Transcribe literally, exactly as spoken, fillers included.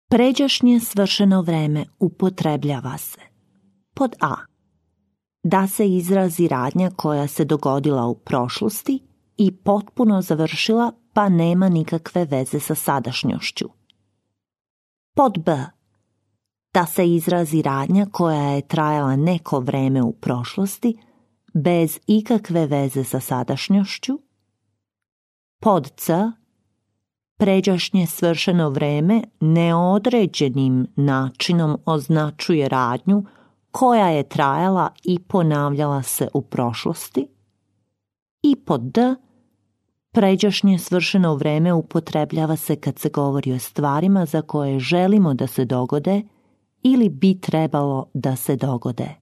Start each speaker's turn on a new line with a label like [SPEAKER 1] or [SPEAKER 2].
[SPEAKER 1] Pređašnje svršeno vreme upotrebljava se. Pod A. Da se izrazi radnja koja se dogodila u prošlosti i potpuno završila pa nema nikakve veze sa sadašnjošću. Pod B. Da se izrazi radnja koja je trajala neko vreme u prošlosti bez ikakve veze sa sadašnjošću. Pod C. Pređašnje svršeno vreme neodređenim načinom označuje radnju koja je trajala i ponavljala se u prošlosti. I pod D. Pređašnje svršeno vreme upotrebljava se kad se govori o stvarima za koje želimo da se dogode ili bi trebalo da se dogode.